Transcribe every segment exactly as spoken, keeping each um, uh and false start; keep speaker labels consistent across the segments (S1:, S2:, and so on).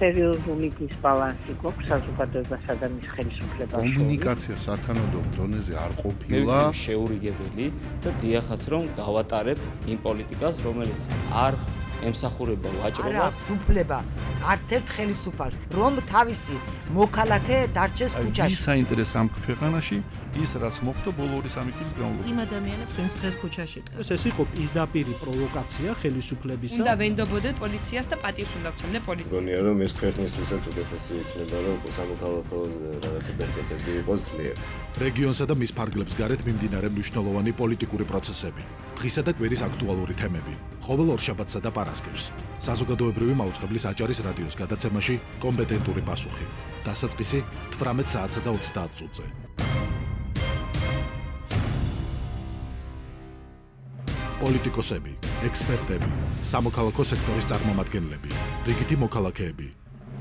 S1: სერიოზული დისბალანსი გვაქვს საზოგადოებასა და მის ხელისუფლებას.
S2: კომუნიკაცია სათანადო დონეზე არ ყოფილა.
S3: შეურიგებელი და დიახაც რომ გავატარებ იმ პოლიტიკას, რომელიც არ ემსახურება ვაჭრობას.
S4: არა, უფლება არც ერთ ხელისუფალს, რომ თავისი მოქალაქე დარჩეს ქუჩაში.
S5: ვის საინტერესო ამ ქვეყანაში ის რაც მოხდა ბოლო ორი სამი წლის განმავლობაში.
S6: იმ ადამიანებს ვინც დღეს ქუჩაში დგას.
S7: ეს იყო პირდაპირი პროვოკაცია ხელისუფლებისა.
S8: უნდა ვენდობოდეთ პოლიციას და პატივს უნდა ვცემდე პოლიციას.
S9: მგონია რომ ეს ქვეყნისთვისაც უკეთესი იქნება რომ სამოქალაქო რაღაცა ბერკეტები იყოს ძლიერ.
S10: რეგიონსა და მის ფარგლებს გარეთ მიმდინარე მნიშვნელოვანი პოლიტიკური პროცესები. დღისა და კვირის აქტუალური თემები. ყოველ ორშაბათსა და პარასკევს. საზოგადოებრივი მაუწყებლის აჭარის რადიოს გადაცემაში კომპეტენტური პასუხი. დასაწყისი თვრამეტ საათსა და ოცდაათ წუთზე. პოლიტიკოსები, ექსპერტები, სამოქალაქო სექტორის წარმომადგენლები, რიგითი მოქალაქეები.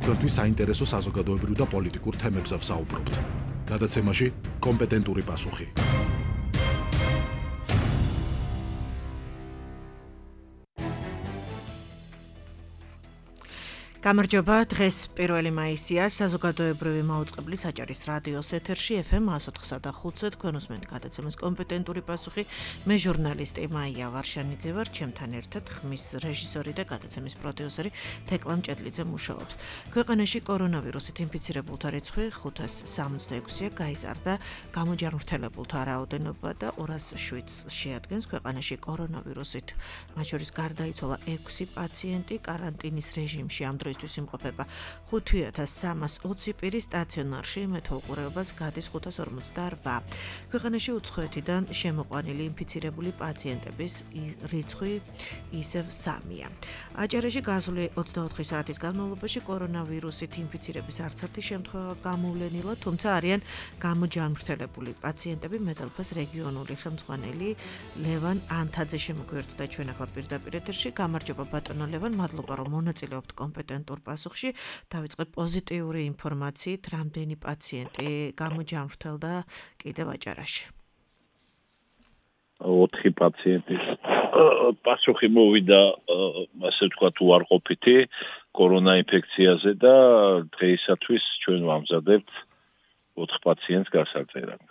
S10: თქვენთვის საინტერესო საზოგადოებრივ და პოლიტიკურ თემებზე ვსაუბრობთ. გადაცემაში კომპეტენტური პასუხი.
S6: გამარჯობა, დღეს პირველი მაისია, საზოგადოებრივი მაუწყებლის აჭარის რადიოს ეთერში ეფ ემ εκατო ოთხსა და ხუთზე თქვენ უსმენთ გადაცემას კომპეტენტური პასუხი. მე ჟურნალისტი მაია ვარშანიძე ვარ, ჩემთან ერთად ხმის რეჟისორი და გადაცემის პროდიუსერი თეკლა მჭედლიძე მუშაობს. ქვეყანაში კორონავირუსით ინფიცირებულთა რიცხვი ხუთას სამოცდაექვსია, გაიზარდა გამოჯანმრთელებულთა რაოდენობა და ორას შვიდს შეადგენს. ქვეყანაში კორონავირუსით მათ შორის გარდაიცვალა ექვსი პაციენტი, კარანტინის რეჟიმში ამ დროისთვის იმყოფება ხუთი ათას სამას ოცი პირი, სტაციონარში მეთვალყურეობას გადის ხუთას ორმოცდაორვა. ქვეყანაში უცხოეთიდან შემოყვანილი ინფიცირებული პაციენტების რიცხვი ისევ სამია. აჭარაში გასული ოცდაოთხი საათის განმავლობაში კორონავირუსით ინფიცირების არც ერთი შემთხვევა გამოვლენილა, თუმცა არიან გამოჯანმრთელებული პაციენტები. მეტალფას რეგიონული ხელმძღვანელი ლევან ანთაძე შემოგვიერთდა ჩვენ ახლა პირდაპირ ეთერში. გამარჯობა ბატონო ლევან, მადლობა რომ მონაწილეობთ კომპეტენტურ პასუხში. დავიწყებ პოზიტიური ინფორმაციით, რამდენი პაციენტი გამოჯანმრთელდა კიდევ აჭარაში.
S11: ოთხი პაციენტი პასუხი მოვიდა, ასე ვთქვათ, უარყოფითი კორონა ინფექციაზე და დღეისათვის ჩვენ ვამზადებთ ოთხ პაციენტს გასაწერად.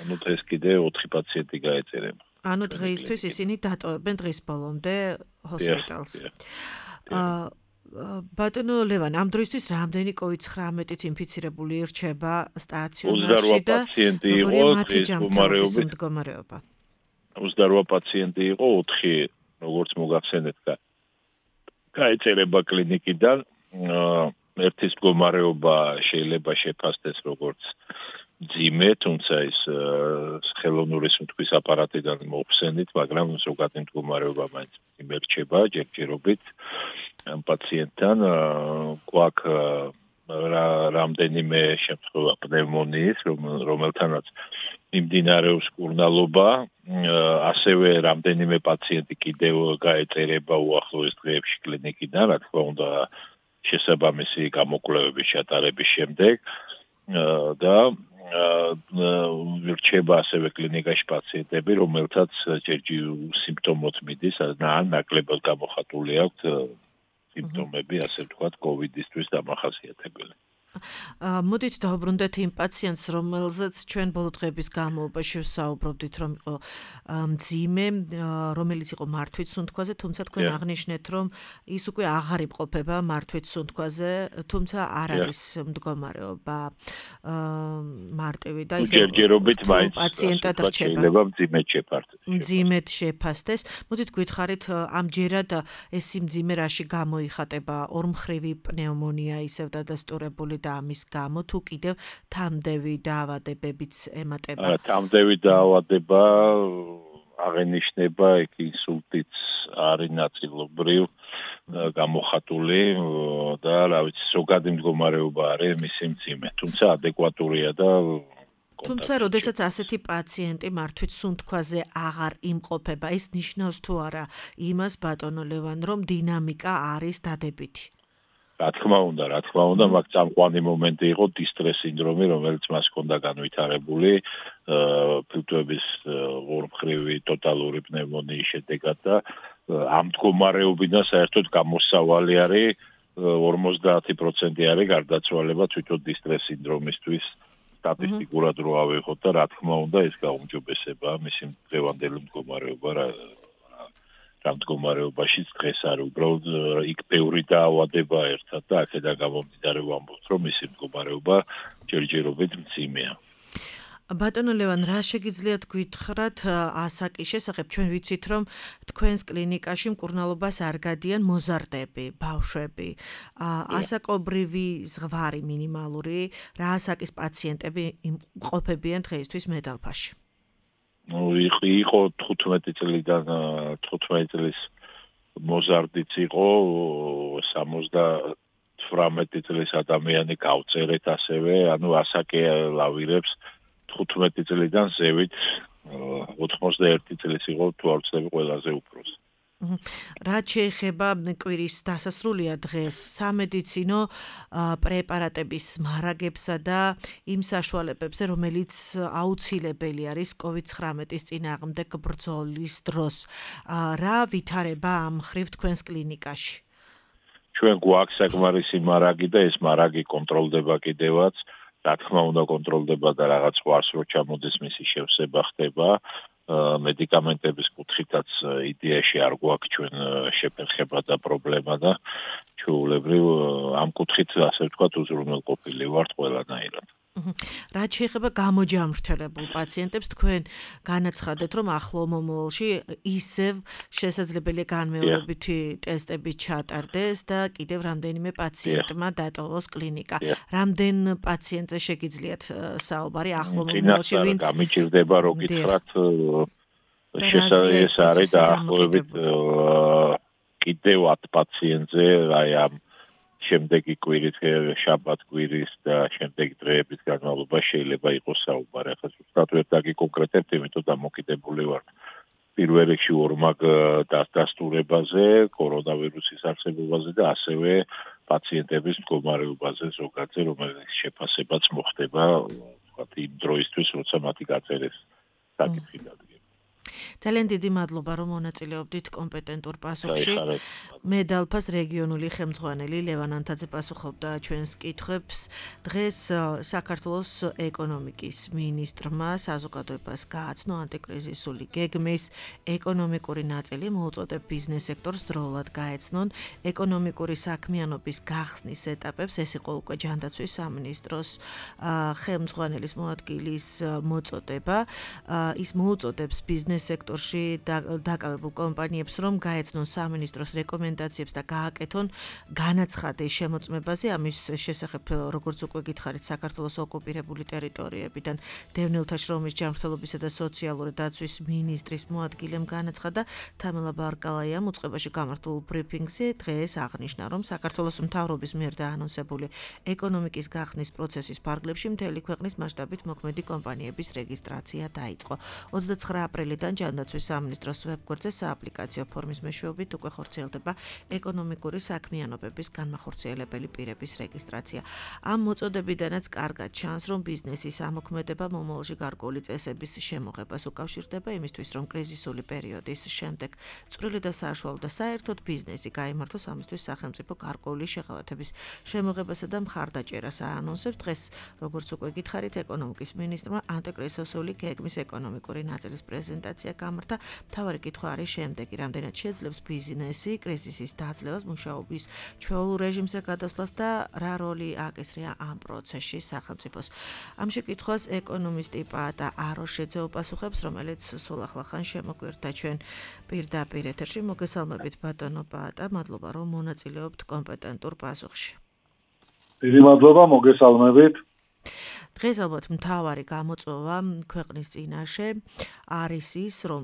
S11: ანუ დღეს კიდე ოთხი პაციენტი გაეწერება.
S6: ანუ დღეისთვის ისინი დატოვებენ დღის ბოლომდე ჰოსპიტალს. აა ბატონო ლევან, ამ დროისთვის რამდენი კოვიდ ცხრამეტით ინფიცირებული ირჩება სტაციონარში და როგორია მათი ჯანმრთელობის მდგომარეობა?
S11: ოცდაორვა პაციენტი იყო, ოთხი როგორც მოგახსენეთ, გაეწერება კლინიკიდან. ერთის მდგომარეობა შეიძლება შეფასდეს როგორც ძიმე, თუმცა ის ხელოვნური სუნთქვის აპარატიდან მოხსენით, მაგრამ ზოგადი მდგომარეობა მაინც ძიმე რჩება ჯერჯერობით. ამ პაციენტთან გვაქვს რამდენიმე შემთხვევა პნევმონიის, რომელთანაც მიმდინარეობს კურნალობა, ასევე რამდენიმე პაციენტი კიდევ გაეწერება უახლოეს დღეებში კლინიკიდან, რა თქმა უნდა, შესაბამისი გამოკვლევების ჩატარების შემდეგ და რჩება ასევე კლინიკაში პაციენტები, რომელთაც ჯერჯერობით სიმპტომოთ მიდის, ან ნაკლებად გამოხატული აქვთ სიმპტომები, ასე ვთქვათ, კოვიდისთვის დამახასიათებელი.
S6: მოდით დავუბრუნდეთ იმ პაციენტს, რომელზეც ჩვენ ბოლო დღეების განმავლობაში ვსაუბრობდით, რომ იყო მძიმე, რომელიც იყო მართვით სუნთქვაზე, თუმცა თქვენ აღნიშნეთ, რომ ის უკვე აღარ იმყოფება მართვით სუნთქვაზე, თუმცა არ არის მდგომარეობა მარტივი და ის
S11: ჯერჯერობით მაინც
S6: პაციენტად რჩება.
S11: შეიძლება მძიმედ შეფასდეს.
S6: მძიმედ შეფასდეს. მოდით გითხარით, ამჯერად ეს მძიმე რაში გამოიხატება? ორმხრივი პნევმონია ისევ დადასტურებული და ამის გამო თუ კიდევ თამდევი დაავადებებიც ემატება?
S11: არა, თამდევი დაავადება აღენიშნება, იქ ინსულტიც არის ნაწილობრივ გამოხატული და რა ვიცი, ზოგადი მდგომარეობა არის მისი მძიმე, თუმცა ადეკვატურია და
S6: თუმცა, როდესაც ასეთი პაციენტი მართვით სუნთქვაზე აღარ იმყოფება, ეს ნიშნავს თუ არა იმას, ბატონო ლევან, რომ დინამიკა არის დადებითი?
S11: რა თქმა უნდა, რა თქმა უნდა, მაგ წამყვანი მომენტი იყო დისტრეს სინდრომი, რომელიც მას ჰქონდა განვითარებული ფილტვების ორმხრივი ტოტალური პნევმონიის შედეგად და ამ მდგომარეობიდან საერთოდ გამოსავალი არის ორმოცდაათი პროცენტი არის გარდაცვალება თვითონ დისტრეს სინდრომისთვის სტატისტიკურად რო ავიღოთ და რა თქმა უნდა ეს გაუმჯობესება მისი დღევანდელი მდგომარეობა რა რა მდგომარეობაშიც დღეს არის უბრალოდ იქ ბევრი დაავადება ერთად და აქედან გამომდინარე ვამბობთ რომ მისი მდგომარეობა ჯერჯერობით მძიმეა.
S6: ბატონო ლევან, რა შეგიძლიათ გითხრათ ასაკის შესახებ? ჩვენ ვიცით, რომ თქვენს კლინიკაში მკურნალობას არ გადიან მოზარდები, ბავშვები. ასაკობრივი ზღვარი მინიმალური, რა ასაკის პაციენტები ყოფებიან დღეისთვის მედალფაში?
S11: იყო თხუთმეტი წლიდან თხუთმეტი წლის მოზარდიც იყო სამოცდათვრამეტი წლის ადამიანი გავწერეთ ასევე, ანუ ასაკი ლავირებს თხუთმეტი წლიდან ზევით ოცდაერთი წლის იყო თუ არ ვცდები ყველაზე უფროსი.
S6: რაც შეეხება კვირის დასასრულია დღეს სამედიცინო პრეპარატების მარაგებსა და იმ საშუალებებზე, რომელიც აუცილებელი არის კოვიდ ცხრამეტის წინააღმდეგ ბრძოლის დროს. რა ვითარება ამ მხრივ თქვენს კლინიკაში?
S11: ჩვენ გვაქვს საკმარისი მარაგი და ეს მარაგი კონტროლდება კიდევაც. რა თქმა უნდა კონტროლდება და რაღაც ყარს რო ჩამოდეს მისი შევსება ხდება. მედიკამენტების კუთხითაც იდეაში არ გვაქვს ჩვენ შეფერხება და პრობლემა და ჩვეულებრივ ამ კუთხით ასე ვთქვათ უზრუნველყოფილი ვართ ყველანაირად.
S6: რაც შეეხება გამოჯამრთელებულ პაციენტებს, თქვენ განაცხადეთ, რომ ახლო მომავალში ისევ შესაძლებელია განმეორებითი ტესტები ჩატარდეს და კიდევ რამდენიმე პაციენტმა დატოვოს კლინიკა. რამდენ პაციენტზე შეგიძლიათ საუბარი ახლო მომავალში, ვინც
S11: გამიჭირდება რო გითხრათ შესაძლოა არის დაახლოებით კიდევ ათ პაციენტზე აი ამ შემდეგი კვირით შაბათ კვირის და შემდეგი დღეების განმავლობაში შეიძლება იყოს საუბარი. ახლა ზუსტად ვერ დაგიკონკრეტებთ, იმიტომ დამოკიდებული ვარ პირველ რიგში ორმაგ დასტურებაზე, კორონავირუსის არსებობაზე და ასევე პაციენტების მდგომარეობაზე ზოგადზე, რომელიც შეფასებაც მოხდება, ვთქვათ, იმ დროისთვის, როცა მათი გაწერეს საკითხი დადგება.
S6: ძალიან დიდი მადლობა, რომ მონაწილეობდით კომპეტენტურ პასუხში. მედალფას რეგიონული ხელმძღვანელი ლევან ანთაძე პასუხობდა ჩვენს კითხვებს. დღეს საქართველოს ეკონომიკის მინისტრმა საზოგადოებას გააცნო ანტიკრიზისული გეგმის ეკონომიკური ნაწილი, მოუწოდებ ბიზნეს სექტორს დროულად გაეცნონ ეკონომიკური საქმიანობის გახსნის ეტაპებს. ეს იყო უკვე ჯანდაცვის სამინისტროს ხელმძღვანელის მოადგილის მოწოდება. ის მოუწოდებს ბიზნეს სექტორში დაკავებულ კომპანიებს, რომ გაეცნონ სამინისტროს რეკომენდაციებს და გააკეთონ განაცხადი შემოწმებაზე. ამის შესახებ, როგორც უკვე გითხარით, საქართველოს ოკუპირებული ტერიტორიებიდან დევნილთა შრომის ჯანმრთელობისა და სოციალური დაცვის მინისტრის მოადგილემ განაცხადა. თამელა ბარკალაიამ უწყებაში გამართულ ბრიფინგზე დღეს აღნიშნა, რომ საქართველოს მთავრობის მიერ დაანონსებული ეკონომიკის გახსნის პროცესის ფარგლებში მთელი ქვეყნის მასშტაბით მოქმედი კომპანიების რეგისტრაცია დაიწყო. ოცდაცხრა აპრილიდან ჯანდაცვის სამინისტროს ვებგვერდზე სააპლიკაციო ფორმის მეშვეობით უკვე ხორციელდება ეკონომიკური საქმიანობების განმახორციელებელი პირების რეგისტრაცია. ამ მოწოდებიდანაც კარგად ჩანს, რომ ბიზნესის ამოქმედება მომავალში გარკვეული წესების შემოღებას უკავშირდება იმისთვის, რომ კრიზისული პერიოდის შემდეგ წვრილი და საშუალო და საერთოდ ბიზნესი გაიმართოს, ამისთვის სახელმწიფო გარკვეული შეღავათების შემოღებასა და მხარდაჭერას აანონსებს. დღეს, როგორც უკვე გითხარით, ეკონომიკის მინისტრმა ანტიკრიზისული გეგმის ეკონომიკური ნაწილის პრეზენტაცია გამართა. მთავარი კითხვა არის შემდეგი: რამდენად შეძლებს ბიზნესი კრიზისის დაძლევას, მუშაობის ჩვეულებრივ რეჟიმზე გადასვლას და რა როლი აკისრია ამ პროცესში სახელმწიფოს? ამ შეკითხვას ეკონომისტი პაატა აროშეძე უპასუხებს, რომელიც სულ ახლახან შემოგვერთა ჩვენ პირდაპირ ეთერში. მოგესალმებით ბატონო პაატა, მადლობა რომ მონაწილეობთ კომპეტენტურ პასუხში.
S12: დიდი მადლობა, მოგესალმებით.
S6: დღეს ალბათ მთავარი გამოწვევა ქვეყნის წინაშე არის ის, რომ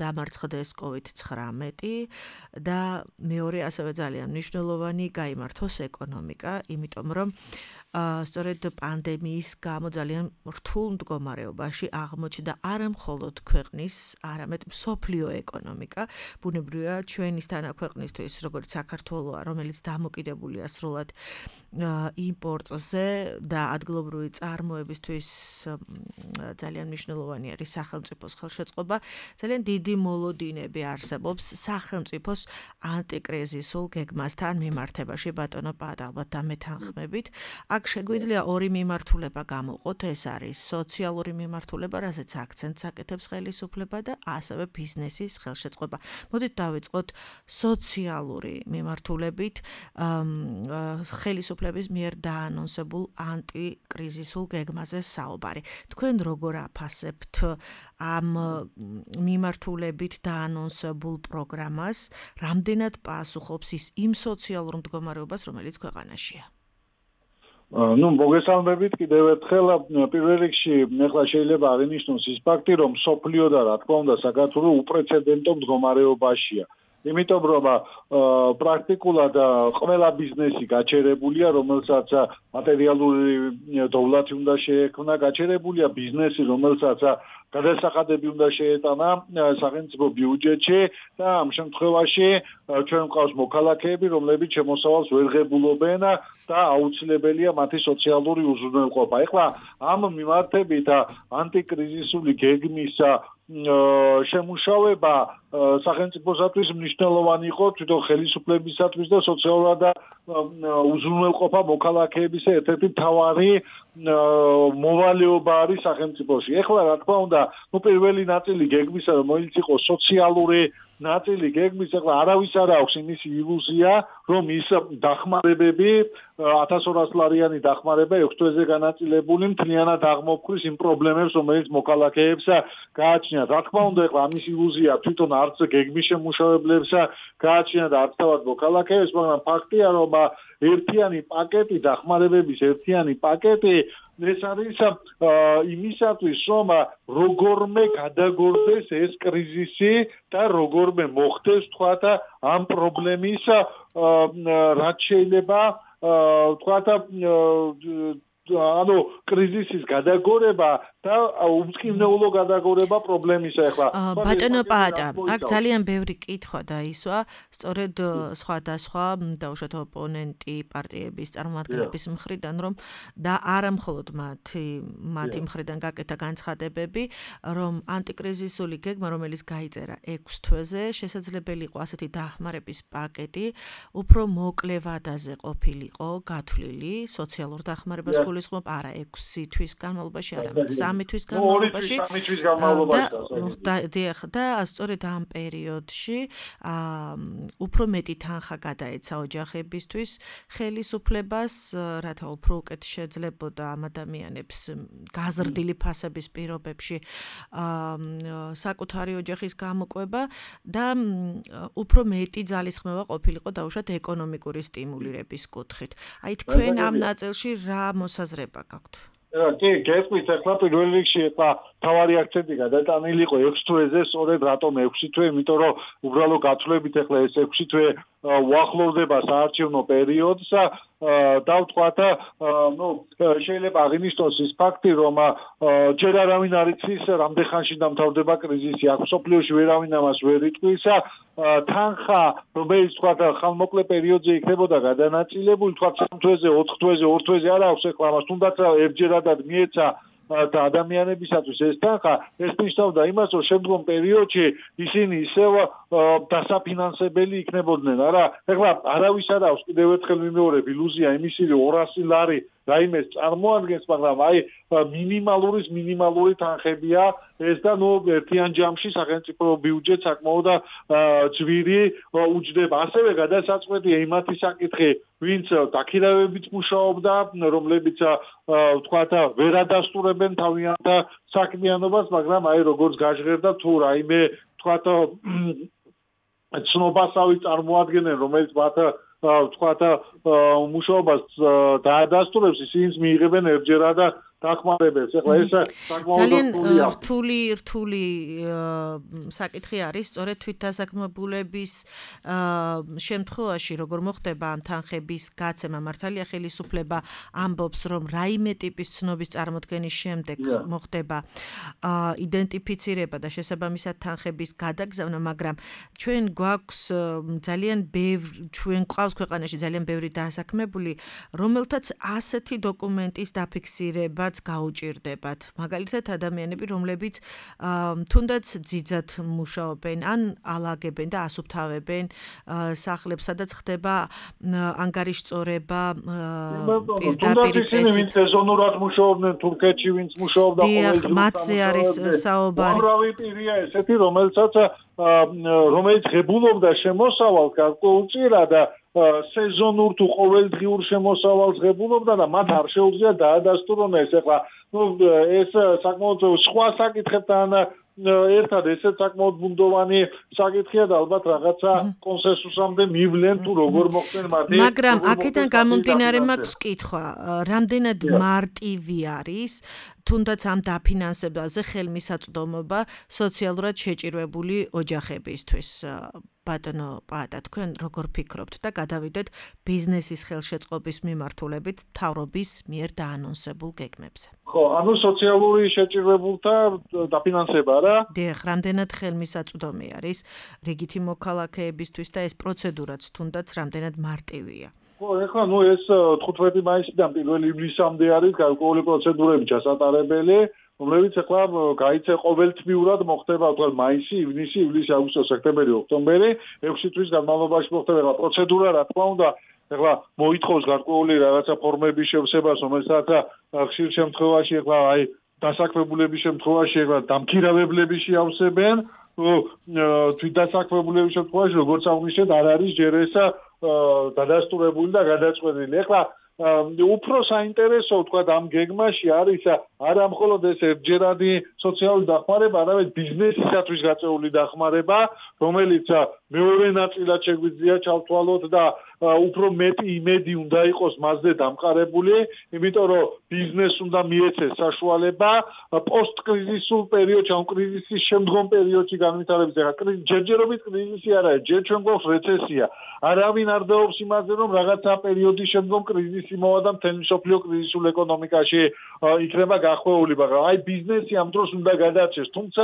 S6: დამარცხდეს კოვიდ ცხრამეტი და მეორე ასევე ძალიან მნიშვნელოვანი გაიმართოს ეკონომიკა, იმიტომ რომ სწორედ პანდემიის გამო ძალიან რთულ მდგომარეობაში აღმოჩნდა არა მხოლოდ ქვეყნის, არამედ მსოფლიო ეკონომიკა. ბუნებრივია ჩვენის თანაქვეყნისთვის, როგორც საქართველოა, რომელიც დამოკიდებულია სრულად იმპორტზე და ადგილობრივი წარმოებისთვის ძალიან მნიშვნელოვანი არის სახელმწიფოს ხელშეწყობა. ძალიან ძალიან დიდი მოლოდინები არსებობს სახელმწიფოს ანტიკრიზისულ გეგმასთან მიმართებაში ბატონო პაატა ალბათ დამეთანხმებით. აქ შეგვიძლია ორი მიმართულება გამოვყოთ, ეს არის სოციალური მიმართულება, რასაც აქცენტს აკეთებს ხელისუფლება და ასევე ბიზნესის ხელშეწყობა. მოდით დავიწყოთ სოციალური მიმართულებით ხელისუფლების მიერ დაანონსებულ ანტიკრიზისულ გეგმაზე საუბარი. თქვენ როგორ აფასებთ ამ მიმართულებით დაანონსებულ პროგრამას, რამდენად პასუხობს ის იმ სოციალურ მდგომარეობას, რომელიც ქვეყანაშია?
S12: ну, მოგესალმებით კიდევ ერთხელ პირველ რიგში ახლა შეიძლება აღინიშნოს ის ფაქტი, რომ სოფლიო და რა თქმა უნდა საქართველოს უპრეცედენტო მდგომარეობაშია. იმიტომ რომ პრაქტიკულად ყველა ბიზნესი გაჩერებულია, რომელსაც მატერიალური დოვლათი უნდა შეექმნა, გაჩერებულია ბიზნესი, რომელსაც გადასახადები უნდა შეეტანა სახელმწიფო ბიუჯეტში და ამ შემთხვევაში ჩვენ მყავს მოქალაქეები, რომლებიც შემოსავალს ვერ ღებულობენ და აუცილებელია მათი სოციალური უზრუნველყოფა. ეხლა ამ მიმართებით ანტიკრიზისული გეგმის შემუშავება სახელმწიფოსათვის მნიშვნელოვანი იყო თვითონ ხელისუფლებისათვის და სოციალურად უზრუნველყოფა მოქალაქეებისა ერთ-ერთი მთავარი მოვალეობა არის სახელმწიფოში. ეხლა რა თქმა უნდა, ну პირველი ნაწილი გეგმისა, რომელიც იყო სოციალური ნაწილი გეგმის, ეხლა არავის არ აქვს იმის ილუზია, რომ ის დახმარებები ათას ორას ლარიანი დახმარება ექვს თვეზე განაწილებული მთლიანად აღმოფხვის იმ პრობლემებს, რომელიც მოქალაქეებს გააჩნიათ. რა თქმა უნდა, ეხლა ამის ილუზია თვითონ არც გეგმის შემუშავებლებს გააჩნიათ და არც თავად მოქალაქეებს, მაგრამ ფაქტია, რომ ერთიანი პაკეტი დახმარებების ერთიანი პაკეტი ეს არის იმისათვის, რომ როგორმე გადაგორდეს ეს კრიზისი და როგორმე მოხდეს თქვათ ამ პრობლემის რაც შეიძლება თქვათ ანუ კრიზისის გადაგორება და უმწკივნეულო გადაგორება პრობლემისა ახლა.
S6: ბატონო პაატა, აქ ძალიან ბევრი კითხვა დაისვა, სწორედ სხვადასხვა დაუშვათ ოპონენტი პარტიების წარმომადგენლების მხრიდან, რომ და არა მხოლოდ მათი მათი მხრიდან გაკეთა განცხადებები, რომ ანტიკრიზისული გეგმა, რომელიც გაიწერა ექვს თვეზე, შესაძლებელი იყო ასეთი დახმარების პაკეტი, უფრო მოკლე ვადაზე ყოფილიყო გათვლილი სოციალურ დახმარებას გულისხმობ არა ექვსი თვის განმავლობაში, არამედ სამი თვის განმავლობაში. და სწორედ ამ პერიოდში უფრო მეტი თანხა გადაეცა ოჯახებისთვის ხელისუფლებას, რათა უფრო უკეთ შეძლებოდა ამ ადამიანებს გაზრდილი ფასების პირობებში საკუთარი ოჯახის გამოკვება და უფრო მეტი ძალისხმევა ყოფილიყო დაუშვათ ეკონომიკური სტიმულირების კუთხით. აი თქვენ ამ ნაწილში რა მოსაზრება გაქვთ?
S12: კი, გესმით, ახლა პირველ რიგში ახლა თავარი აქცენტი გადატანილი იყო ექვს თვეზე, სწორედ რატომ ექვსი თვე, იმიტომ რომ უბრალო გათვლებით ახლა ეს ექვსი თვე უახლოვდება საარჩევნო პერიოდს და ვთქვათ, ну, შეიძლება აღინიშნოს ის ფაქტი, რომ ჯერ არავინ არ იცის, რამდენ ხანში დამთავრდება კრიზისი, აქ სოფლიოში ვერავინ ამას ვერ იტყვის, თანხა, რომელიც ვთქვათ, ხანმოკლე პერიოდზე იქნებოდა გადანაწილებული, ვთქვათ, სამ თვეზე, ოთხ თვეზე, ორ თვეზე არ აქვს ახლა ამას, თუნდაც ერთჯერადად მიეცა და ადამიანებისათვის ეს თანხა, ეს ნიშნავდა იმას, რომ შემდგომ პერიოდში ისინი ისევ დასაფინანსებელი იქნებოდნენ, არა? ეხლა არავის არ აქვს კიდევ ერთხელ მიმეორებ ილუზია იმისი, რომ ორასი ლარი რაიმეს წარმოადგენს, მაგრამ აი მინიმალურის მინიმალური თანხებია ეს და ნუ ერთიან ჯამში სახელმწიფო ბიუჯეტს საკმაოდ ძვირი უჯდება. ასევე გადასაწყვეტია იმათი საკითხი, ვინც დაქირავებით მუშაობდა, რომლებიც ვთქვათ, ვერ ადასტურებენ თავიანთ საქმიანობას, მაგრამ აი როგორც გაჟღერდა თუ რაიმე ვთქვათ ცნობასავი წარმოადგენენ, რომელიც მათ ვთქვათ მუშაობას დაადასტურებს, ისინიც მიიღებენ ერთჯერად დახმარებებს. ეხლა ეს
S6: ძალიან რთული რთული საკითხი არის, სწორედ თვითდასაქმებულების შემთხვევაში, როგორ მოხდება ამ თანხების გაცემა, მართალია ხელისუფლება ამბობს, რომ რაიმე ტიპის ცნობის წარმოქმნის შემდეგ მოხდება იდენტიფიცირება და შესაბამისად თანხების გადაგზავნა, მაგრამ ჩვენ გვაქვს ძალიან ბევრი, ჩვენ გვყავს ქვეყანაში ძალიან ბევრი დასაქმებული, რომელთაც ასეთი დოკუმენტის დაფიქსირება რაც გაუჭირდებათ. მაგალითად, ადამიანები, რომლებიც თუნდაც ძიძად მუშაობენ, ან ალაგებენ და ასუფთავებენ სახლებს, სადაც ხდება ანგარიშწორება პირდაპირ წესით.
S12: სეზონურად მუშაობდნენ თურქეთში, ვინც მუშაობდა ყოველდღიურად.
S6: მათზე არის საუბარი.
S12: უამრავი პირია ესეთი, რომელსაც რომელიც ღებულობდა შემოსავალს გარკვეულწილად და სეზონურ თუ ყოველდღიურ შემოსავალს ღებულობდა და მათ არ შეუძლია დაადასტურონ ეს. ეხლა ნუ ეს საკმაოდ სხვა საკითხებთან ერთად ესეც საკმაოდ ბუნდოვანი საკითხია და ალბათ რაღაცა კონსენსუსამდე მივლენ თუ როგორ მოხდნენ მათი.
S6: მაგრამ აქედან გამომდინარე მაქვს კითხვა, რამდენად მარტივი არის თუნდაც ამ დაფინანსებაზე ხელმისაწვდომობა სოციალურად შეჭირვებული ოჯახებისთვის. ბატონო პაატა, თქვენ როგორ ფიქრობთ და გადავიდეთ ბიზნესის ხელშეწყობის მიმართულებით მთავრობის მიერ დაანონსებულ გეგმებზე.
S12: ხო, ანუ სოციალური შეჭირვებულთა დაფინანსება რა?
S6: დიახ, რამდენად ხელმისაწვდომი არის რიგითი მოქალაქეებისთვის და ეს პროცედურაც თუნდაც რამდენად მარტივია.
S12: ხო, ეხლა ნუ ეს თხუთმეტი მაისიდან პირველი ივლისამდე არის გარკვეული პროცედურები ჩასატარებელი, რომლებიც ეხლა გაიცე ყოველთვიურად მოხდება, თქვა მაისი, ივნისი, ივლისი, აგვისტო, სექტემბერი, ოქტომბერი, ექვსი თვის განმავლობაში მოხდება ეხლა პროცედურა, რა თქმა უნდა, ეხლა მოითხოვს გარკვეული რაღაცა ფორმების შევსებას, რომელსაც ხშირ შემთხვევაში ეხლა აი დასაქმებულების შემთხვევაში ეხლა დამქირავებლები შეავსებენ, თვითდასაქმებულების შემთხვევაში როგორც აღნიშნეთ, არ არის ჯერ ეს დადასტურებული და გადაწყვეტილი. ეხლა უფრო საინტერესო თქვა ამ გეგმაში არის არა მხოლოდ ეს ერთჯერადი სოციალური დახმარება, არამედ ბიზნესისათვის გაწეული დახმარება, რომელიც მეორე ნაწილად შეგვიძლია ჩავთვალოთ და უფრო მეტი იმედი უნდა იყოს მასზე დამყარებული, იმიტომ რომ ბიზნესს უნდა მიეცეს საშუალება პოსტკრიზისულ პერიოდში, ან კრიზისის შემდგომ პერიოდში განვითარების. ეხლა ჯერჯერობით კრიზისი არაა, ჯერ ჩვენ გვაქვს რეცესია. არავინ არ დაობს იმაზე, რომ რაღაცა პერიოდის შემდგომ კრიზისი მოვა და მთელი მსოფლიო კრიზისულ ეკონომიკაში იქნება გახვეული, მაგრამ აი ბიზნესი ამ დროს უნდა გადარჩეს, თუმცა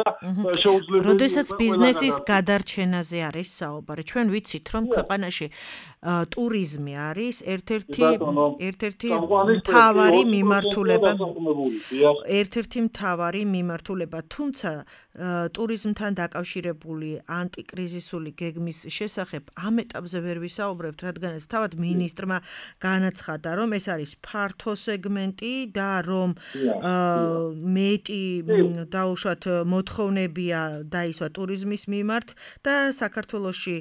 S12: შეუძლებელი.
S6: როდესაც ბიზნესის გადარჩენაზე არის საუბარი, ჩვენ ვიცით, რომ ქვეყანაში ტურიზმი არის ერთ-ერთი ერთ-ერთი მთავარი მიმართულება. ერთ-ერთი მთავარი მიმართულება, თუმცა ტურიზმთან დაკავშირებული ანტიკრიზისული გეგმის შესახებ ამ ეტაპზე ვერ ვისაუბრებთ, რადგანაც თავად მინისტრმა განაცხადა, რომ ეს არის ფართო სეგმენტი და რომ მეტი დაუშვათ მოთხოვნებია დაისვა ტურიზმის მიმართ და საქართველოში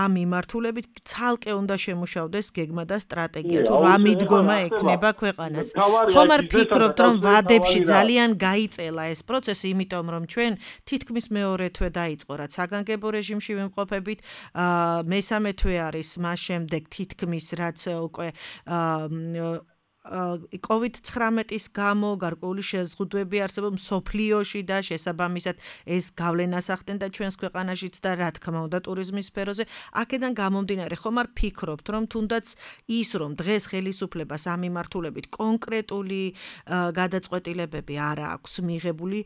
S6: ამ მიმართულებით ცალკე უნდა შემუშავდეს გეგმა და სტრატეგია თუ რა მიდგომა ექნება ქვეყანას. ხომ არ ფიქრობთ, რომ ვადებში ძალიან გაიწელა ეს პროცესი, იმიტომ რომ ჩვენ თითქმის მეორე თვე დაიწყო, რაც საგანგებო რეჟიმში ვიმყოფებით, მესამე თვე არის მას შემდეგ თითქმის რაც უკვე კოვიდ ცხრამეტის გამო გარკვეული შეზღუდვები არსებობს მსოფლიოში და შესაბამისად ეს გავლენას ახდენდა ჩვენს ქვეყანაშიც და რა თქმა უნდა ტურიზმის სფეროზე. აქედან გამომდინარე, ხომ არ ფიქრობთ, რომ თუნდაც ის, რომ დღეს ხელისუფლებას ამ მიმართულებით კონკრეტული გადაწყვეტილებები არ აქვს მიღებული,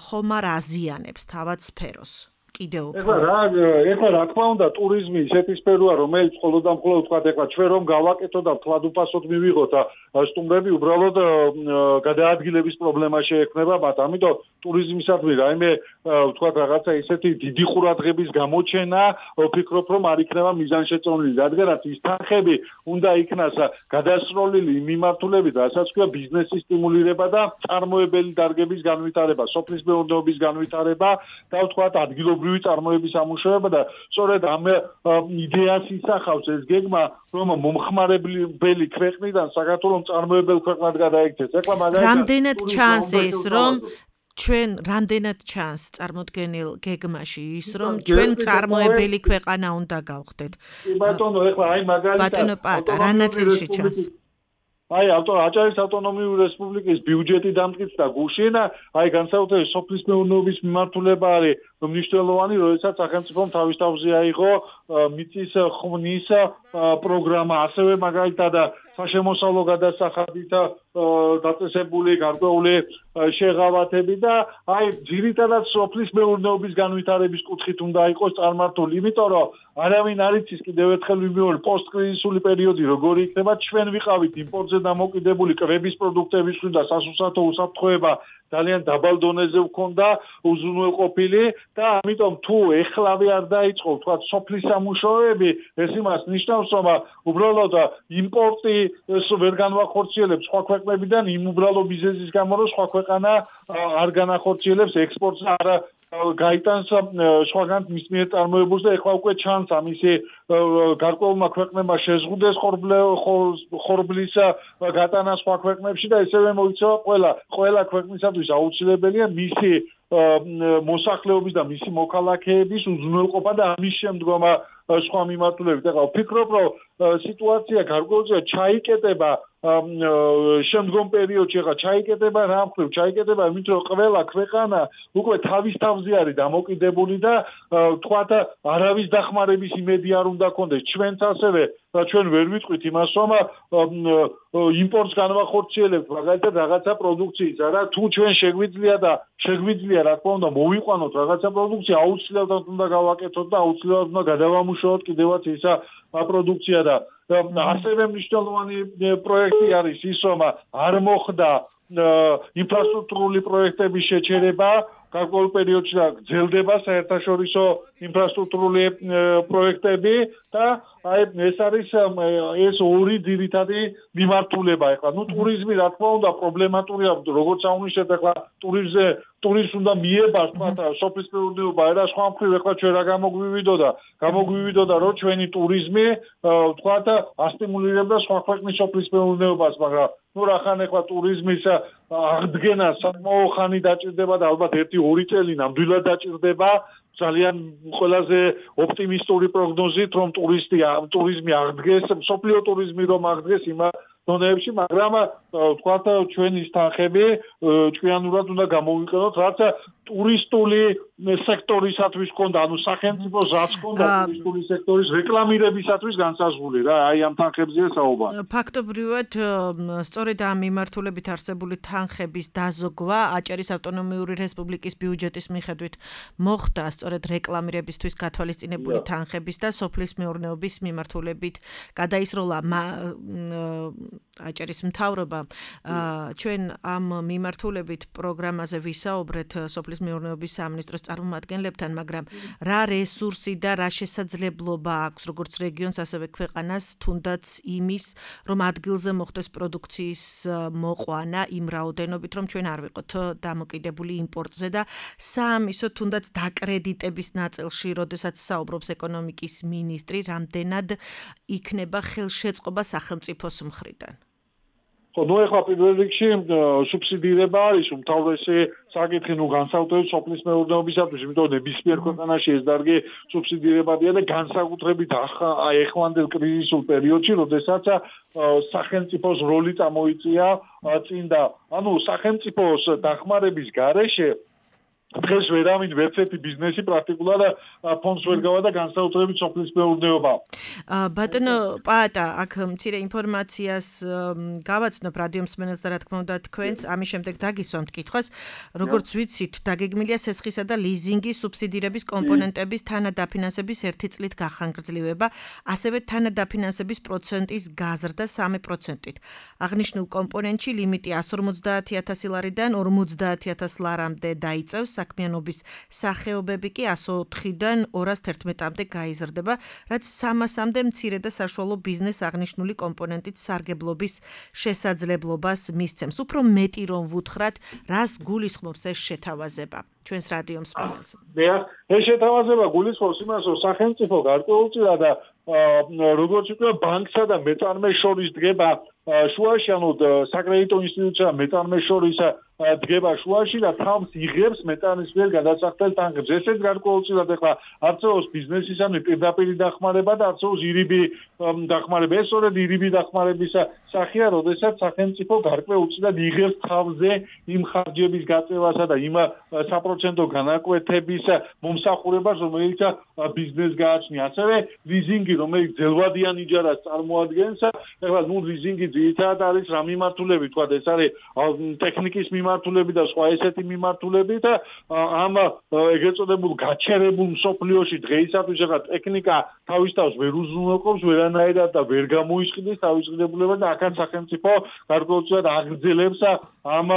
S6: ხომ არ აზიანებს თავად სფეროს? კიდევ უფრო.
S12: ეხლა რა, ეხლა რა თქმა უნდა, ტურიზმი ისეთი სფეროა, რომელიც მხოლოდ და მხოლოდ თქვა, ეხლა ჩვენ რომ გავაკეთოთ და თვალუფასოდ მივიღოთ სტუმრები, უბრალოდ გადაადგილების პრობლემა შეექმნება მათ. ამიტომ ტურიზმისადმი რაიმე თქვა რაღაცა ისეთი დიდი ყურადღების გამოჩენა, ვფიქრობ, რომ არ იქნება მიზანშეწონილი, რადგანაც ის თანხები უნდა იქნას გადასროლილი მიმართულებით, რასაც ქვია ბიზნესის სტიმულირება და წარმოებელი დარგების განვითარება, სოფლის მეურნეობის განვითარება და თქვა ადგილობრივი წარმოების ამუშავება და სწორედ ამ იდეას ისახავს ეს გეგმა, რომ მომხმარებელი ქვეყნიდან საქართველოს წარმოებელ ქვეყნად გადაიქცეს. ეხლა მაგალითად
S6: რამდენად ჩანს ეს, რომ ჩვენ რამდენად ჩანს წარმოდგენილ გეგმაში ის, რომ ჩვენ წარმოებელი ქვეყანა უნდა გავხდეთ?
S12: ბატონო, ეხლა აი მაგალითად
S6: ბატონო პაატა, რა ნაწილში ჩანს?
S12: აი აჭარის ავტონომიური რესპუბლიკის ბიუჯეტი დამტკიცდა გუშინ, აი განსაკუთრებით სოფლის მეურნეობის მიმართულება არის მნიშვნელოვანი, როდესაც სახელმწიფომ თავის თავზე აიღო მიწის ხმნის პროგრამა, ასევე მაგალითად საშემოსავლო გადასახადით დაწესებული გარკვეული შეღავათები და აი ძირითადად სოფლის მეურნეობის განვითარების კუთხით უნდა იყოს წარმართული, იმიტომ რომ არავინ არ იცის კიდევ ერთხელ ვიმეორე პოსტკრიზისული პერიოდი როგორი იქნება, ჩვენ ვიყავით იმპორტზე დამოკიდებული კვების პროდუქტების და სასუსათო უსაფრთხოება ძალიან დაბალ დონეზე ვქონდა უზრუნველყოფილი და ამიტომ თუ ეხლავე არ დაიწყო თქვა სოფლის სამუშაოები, ეს იმას ნიშნავს, რომ უბრალოდ იმპორტი ვერ განვახორციელებს სხვა ქვეყნებიდან იმ უბრალო მიზეზის გამო, რომ სხვა ქვეყანა არ განახორციელებს ექსპორტს და არ გაიტანს სხვაგან მის მიერ წარმოებულს და ეხლა უკვე ჩანს ამისი გარკვეულმა ქვეყნებმა შეზღუდეს ხორბლის გატანა სხვა ქვეყნებში და ესევე მოიცვა ყველა ყველა ქვეყნისათვის აუცილებელია მისი მოსახლეობის და მისი მოქალაქეების უზრუნველყოფა და ამის შემდგომ სხვა მიმართულებით. ეხლა ვფიქრობ, რომ სიტუაცია გარკვეულწილად ჩაიკეტება შემდგომ პერიოდში, ეხლა ჩაიკეტება რა მხრივ, ჩაიკეტება იმით, რომ ყველა ქვეყანა უკვე თავის თავზე არის დამოკიდებული და თქვათ არავის დახმარების იმედი არ უნდა კონდეს. ჩვენც ასევე და ჩვენ ვერ ვიტყვით იმას, რომ იმპორტს განვახორციელებთ მაგალითად რაღაცა პროდუქციისა და თუ ჩვენ შეგვიძლია და შეგვიძლია რა თქმა უნდა მოვიყვანოთ რაღაცა პროდუქცია, აუცილებლად უნდა გავაკეთოთ და აუცილებლად უნდა გადავამუშავოთ კიდევაც ისა პროდუქცია და ასევე მნიშვნელოვანი პროექტი არის ის, რომ არ მოხდა ინფრასტრუქტურული პროექტების შეჩერება გარკვეულ პერიოდში და გრძელდება საერთაშორისო ინფრასტრუქტურული პროექტები და აი ეს არის ეს ორი ძირითადი მიმართულება. ეხლა ნუ ტურიზმი რა თქმა უნდა პრობლემატურია, როგორც აღვნიშნეთ, ეხლა ტურიზმზე ტურიზმს უნდა მიებას თქვა სოფლის მეურნეობა და სხვა მხრივ ეხლა ჩვენ რა გამოგვივიდოდა გამოგვივიდოდა რომ ჩვენი ტურიზმი თქვა ასტიმულირებდა სხვა ქვეყნის სოფლის მეურნეობას, მაგრამ ნუ რახან ეხლა ტურიზმის აღდგენა საკმაო ხანი დაჭირდება და ალბათ ერთი ორი წელი ნამდვილად დაჭირდება ძალიან ყველაზე ოპტიმისტური პროგნოზით, რომ ტურისტი ტურიზმი აღდგეს, სოფლიო ტურიზმი რომ აღდგეს იმ დონეებში, მაგრამ თქვათ ჩვენი თანხები ჭკვიანურად უნდა გამოვიყენოთ, რაც ტურისტული სექტორისათვის ჰქონდა, ანუ სახელმწიფოს რაც ჰქონდა ტურისტული სექტორის რეკლამირებისათვის განსაზღვრული რა, აი ამ თანხებზეა საუბარი.
S6: ფაქტობრივად, სწორედ ამ მიმართულებით არსებული თანხების დაზოგვა აჭარის ავტონომიური რესპუბლიკის ბიუჯეტის მიხედვით მოხდა სწორედ რეკლამირებისთვის გათვალისწინებული თანხების და სოფლის მეურნეობის მიმართულებით გადაისროლა აჭარის მთავრობა. ჩვენ ამ მიმართულებით პროგრამაზე ვისაუბრეთ სოფლის მეურნეობის სამინისტროს წარმომადგენლებთან, მაგრამ რა რესურსი და რა შესაძლებლობა აქვს როგორც რეგიონს, ასევე ქვეყანას, თუნდაც იმის, რომ ადგილზე მოხდეს პროდუქციის მოყვანა იმ რაოდენობით, რომ ჩვენ არ ვიყოთ დამოკიდებული იმპორტზე და საამისო თუნდაც დაკრედიტების ნაწილში, როდესაც საუბრობს ეკონომიკის მინისტრი, რამდენად იქნება ხელშეწყობა სახელმწიფოს მხრიდან.
S12: ხო, ნუ ეხლა პირველ რიგში სუბსიდირება არის უმთავრესი საკითხი, ნუ განსაკუთრებით სოფლის მეურნეობისათვის, იმიტომ რომ ნებისმიერ ქვეყანაში ეს დარგი სუბსიდირებადია და განსაკუთრებით აი ეხლანდელ კრიზისულ პერიოდში, როდესაც სახელმწიფოს როლი წამოიწია წინ და ანუ სახელმწიფოს დახმარების გარეშე დღეს ვერავინ ვერცერთი ბიზნესი პრაქტიკულად ფონდს ვერ გავა და განსაკუთრებით სოფლის მეურნეობა.
S6: ბატონო პაატა, აქ მცირე ინფორმაციას გავაცნობ რადიო მსმენელს და რა თქმა უნდა თქვენს, ამის შემდეგ დაგისვამთ კითხვას, როგორც ვიცით, დაგეგმილია სესხისა და ლიზინგის სუბსიდირების კომპონენტების თანადაფინანსების ერთი წლით გახანგრძლივება, ასევე თანადაფინანსების პროცენტის გაზრდა სამი პროცენტით. აღნიშნულ კომპონენტში ლიმიტი εκατს ორმოცდაათი ათასი ლარიდან ორმოცდაათი ათას ლარამდე დაიწევს. საქმიანობის სახეობები კი εκατს ოთხიდან ორას თერთმეტამდე გაიზრდება, რაც სამასამდე მცირე და საშუალო ბიზნეს აღნიშნული კომპონენტით სარგებლობის შესაძლებლობას მისცემს. უფრო მეტი რომ ვუთხრათ, რას გულისხმობს ეს შეთავაზება ჩვენს რადიო მსმენელს?
S12: ეს შეთავაზება გულისხმობს იმას, რომ სახელმწიფო გარკვეულწილად და როგორც ვთქვი, ბანკსა და მეწარმეს შორის დგება შუაში, ანუ საკრედიტო ინსტიტუცია მეწარმეს შორის დგება შუაში და თავს იღებს მეტანის მიერ გადასახდელ ტანკებს. ესეც გარკვეულწილად ეხლა არწევს ბიზნესისამი პირდაპირი დახმარება და არწევს ირიბი დახმარება. ეს სწორედ ირიბი დახმარების სახეა, როდესაც სახელმწიფო გარკვეულწილად იღებს თავზე იმ ხარჯების გაწევასა და იმ საპროცენტო განაკვეთების მომსახურებას, რომელიც ბიზნესს გააჩნია. ასევე ლიზინგი, რომელიც ძელვადიან იჯარას წარმოადგენს, ეხლა ნუ ლიზინგი ძირითადად არის რა მიმართულებით, თქვა ეს არის ტექნიკის მიმართულებით და სხვა ესეთი მიმართულებით და ამ ეგრეთ წოდებულ გაჩერებულ მსოფლიოში დღეისათვის ეხლა ტექნიკა თავის თავს ვერ უზრუნველყოფს ვერანაირად და ვერ გამოისყიდეს თავის ღირებულებას და აქაც სახელმწიფო გარკვეულწილად აგრძელებს ამ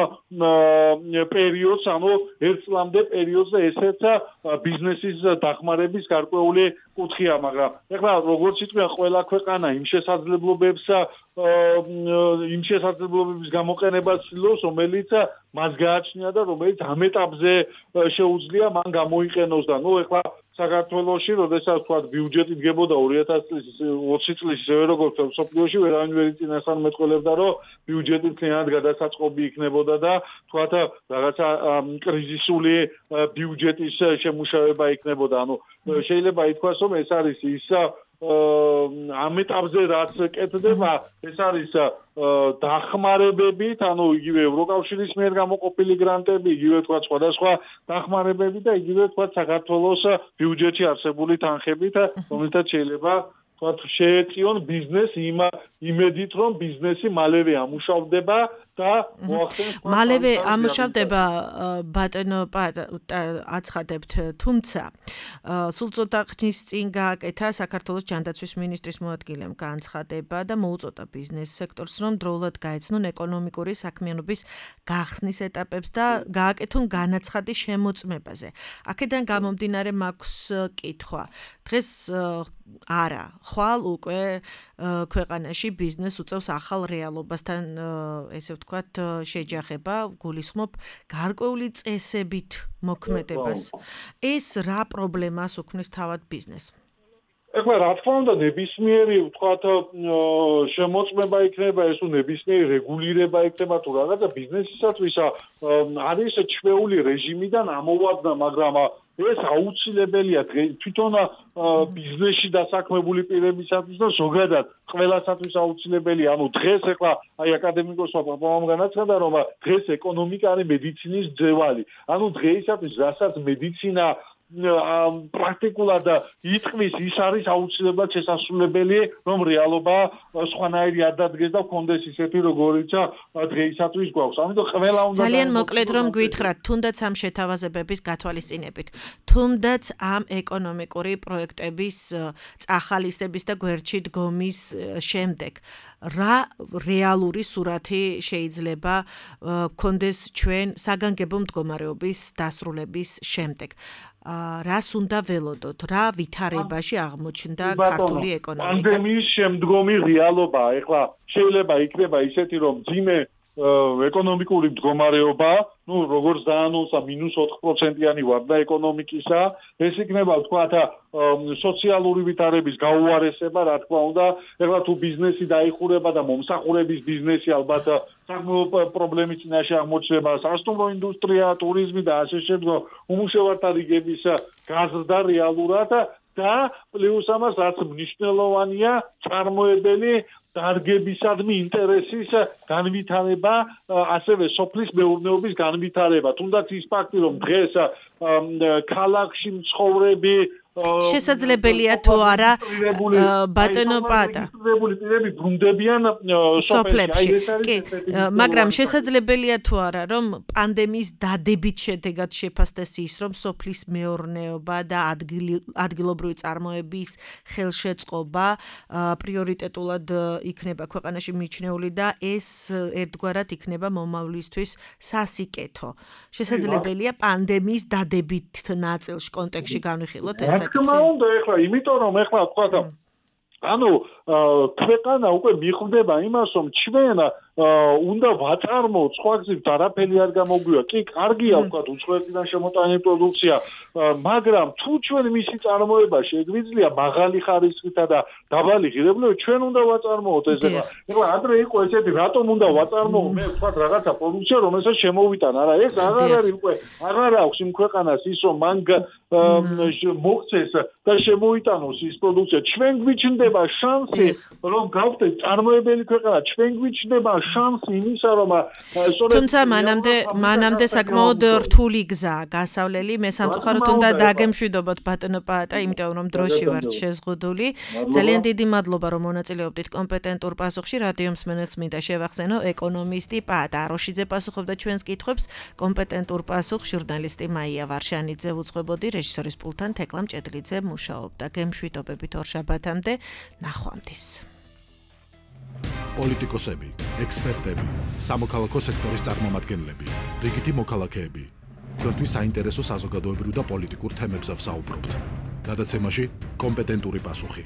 S12: პერიოდს, ანუ ერთ წლამდე პერიოდს და ესეც ბიზნესის დახმარების გარკვეული კუთხეა, მაგრამ ეხლა როგორც იტყვია ყველა ქვეყანა იმ შესაძლებლობებს იმ შესაძლებლობების გამოყენებას ცდილობს, რომელიც მას გააჩნია და რომელიც ამ ეტაპზე შეუძლია მან გამოიყენოს და ნუ ეხლა საქართველოში, როდესაც თქვა ბიუჯეტი დგებოდა ორი ათას ოცი წლის ისევე როგორც მსოფლიოში ვერავინ ვერ იწინასწარმეტყველებდა, რომ ბიუჯეტი მთლიანად გადასაწყობი იქნებოდა და თქვა რაღაცა კრიზისული ბიუჯეტის შემუშავება იქნებოდა. ანუ შეიძლება ითქვას, რომ ეს არის ის ამ ეტაპზე რაც კეთდება, ეს არის დახმარებებით, ანუ იგივე ევროკავშირის მიერ გამოყოფილი გრანტები, იგივე თქვა სხვადასხვა დახმარებები და იგივე თქვა საქართველოს ბიუჯეტში არსებული თანხებით, რომელთაც შეიძლება თქვა შეეწიონ ბიზნესს იმ იმედით, რომ ბიზნესი მალევე ამუშავდება და მოახდენს
S6: მალევე ამუშავდება ბატონო აცხადებთ, თუმცა სულ ცოტა ხნის წინ გააკეთა საქართველოს ჯანდაცვის მინისტრის მოადგილემ განცხადება და მოუწოდა ბიზნეს სექტორს, რომ დროულად გაეცნონ ეკონომიკური საქმიანობის გახსნის ეტაპებს და გააკეთონ განაცხადი შემოწმებაზე. აქედან გამომდინარე მაქვს კითხვა. დღეს არა, ხვალ უკვე ქვეყანაში ბიზნეს უწევს ახალ რეალობასთან, ესე ვთქვათ, შეჯახება, გულისხმობ გარკვეული წესებით მოქმედებას. ეს რა პრობლემას უქმნის თავად ბიზნესს?
S12: ეხლა რა თქმა უნდა ნებისმიერი ვთქვათ შემოწმება იქნება, ეს უ ნებისმიერი რეგულირება იქნება თუ რაღაცა ბიზნესისათვის არის ჩვეული რეჟიმიდან ამოვადგა, მაგრამ ეს აუცილებელია თვითონ ბიზნესში დასაქმებული პირებისათვის და ზოგადად ყველასათვის აუცილებელია. ანუ დღეს ეხლა აი აკადემიკოსმა პაპავამ განაცხადა, რომ დღეს ეკონომიკა არის მედიცინის ძევალი. ანუ დღეისათვის რასაც მედიცინა პრაქტიკულად იტყვის, ის არის აუცილებლად შესაძლებელი, რომ რეალობა სხვანაირი არ დადგეს და კონდეს ისეთი, როგორიც დღეისათვის გვაქვს. ამიტომ ყველა უნდა
S6: ძალიან მოკლედ რომ გვითხრათ, თუნდაც ამ შეთავაზებების გათვალისწინებით, თუნდაც ამ ეკონომიკური პროექტების წახალისების და გვერდში დგომის შემდეგ, რა რეალური სურათი შეიძლება გქონდეს ჩვენ საგანგებო მდგომარეობის დასრულების შემდეგ? რას უნდა ველოდოთ, რა ვითარებაში აღმოჩნდა ქართული ეკონომიკა?
S12: პანდემიის შემდგომი რეალობაა. ეხლა შეიძლება იქნება ისეთი, რომ ძიმე ეკონომიკური მდგომარეობა, ну, როგორც დაანონსა მინუს ოთხ პროცენტიანი ვარდა ეკონომიკისა, ეს იქნება თქვათ სოციალური ვითარების გაუარესება, რა თქმა უნდა, ეხლა თუ ბიზნესი დაიხურება და მომსახურების ბიზნესი ალბათ საკმაოდ პრობლემის წინაშე აღმოჩნდება, სასტუმრო ინდუსტრია, ტურიზმი და ასე შემდგომ უმუშევართა რიგების გაზრდა რეალურად და პლუს ამას რაც მნიშვნელოვანია, წარმოებელი დარგებისადმი ინტერესის განვითარება, ასევე სოფლის მეურნეობის განვითარება. თუნდაც ის ფაქტი, რომ დღეს ქალაქში მცხოვრები
S6: შესაძლებელია თუ არა ბატონო პატა
S12: პირები ბრუნდებიან
S6: სოფლებში. კი, მაგრამ შესაძლებელია თუ არა, რომ პანდემიის დადებით შედეგად შეფასდეს ის, რომ სოფლის მეურნეობა და ადგილობრივი წარმოების ხელშეწყობა პრიორიტეტულად იქნება ქვეყანაში მიჩნეული და ეს ერთგვარად იქნება მომავლისთვის სასიკეთო. შესაძლებელია პანდემიის დადებით ნაწილში კონტექსტში განვიხილოთ ეს საკითხი.
S12: რა თქმა უნდა, ეხლა იმიტომ რომ ეხლა თქვა ანუ ქვეყანა უკვე მიხვდება იმას, რომ ჩვენ უნდა ვაწარმოოთ სხვა გზით არაფერი არ გამოგვია. კი, კარგია ვთქვათ უცხოეთიდან შემოტანილი პროდუქცია, მაგრამ თუ ჩვენ მისი წარმოება შეგვიძლია მაღალი ხარისხითა და დაბალი ღირებულებით, ჩვენ უნდა ვაწარმოოთ ეს ეხლა. ეხლა ადრე იყო ესეთი, რატომ უნდა ვაწარმოო მე ვთქვათ რაღაცა პროდუქცია, რომელსაც შემოვიტან. არა, ეს აღარ არის უკვე, აღარ აქვს იმ ქვეყანას ის, რომ მან მოქცეს და შემოიტანოს ის პროდუქცია. ჩვენ გვიჩნდება შანსი, რომ გავხდეთ წარმოებელი ქვეყანა, ჩვენ გვიჩნდება შანსი იმისა, რომ
S6: თუმცა მანამდე მანამდე საკმაოდ რთული გზაა გასავლელი. მე სამწუხაროდ უნდა დაგემშვიდობოთ ბატონო პაატა, იმიტომ რომ დროში ვართ შეზღუდული. ძალიან დიდი მადლობა რომ მონაწილეობდით კომპეტენტურ პასუხში. რადიო მსმენელს მინდა შევახსენო, ეკონომისტი პაატა აროშიძე პასუხობდა ჩვენს კითხვებს. კომპეტენტურ პასუხს ჟურნალისტი მაია ვარშანიძე უძღვებოდი, რეჟისორის პულტთან თეკლა მჭედლიძე მუშაობდა. გემშვიდობებით ორ შაბათამდე, ნახვამდის.
S10: პოლიტიკოსები, ექსპერტები, სამოქალაქო სექტორის წარმომადგენლები, რიგითი მოქალაქეები. თქვენთვის საინტერესო საზოგადოებრივ და პოლიტიკურ თემებზე ვსაუბრობთ. გადაცემაში კომპეტენტური პასუხი.